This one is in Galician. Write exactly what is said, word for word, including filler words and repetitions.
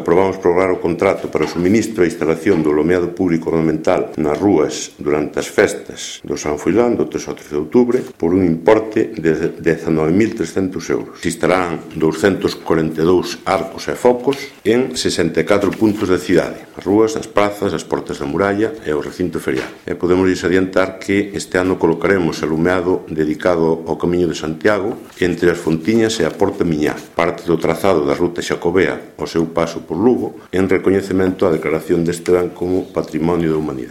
Aprobamos prorrogar o contrato para o suministro e instalación do alumeado público ornamental nas rúas durante as festas do San Froilán do tres ao trece de outubro por un importe de dezanove mil trescentos euros. Se instalarán douscentos corenta e dous arcos e focos en sesenta e catro puntos da cidade, as rúas, as prazas, as portas da muralla e o recinto ferial. E podemos adiantar que este ano colocaremos alumeado dedicado ao Camiño de Santiago entre as Fontiñas e a Porta Miñá, parte do trazado da ruta xacobea ao seu paso por Lugo, en recoñecemento á declaración deste ben como Patrimonio da Humanidade.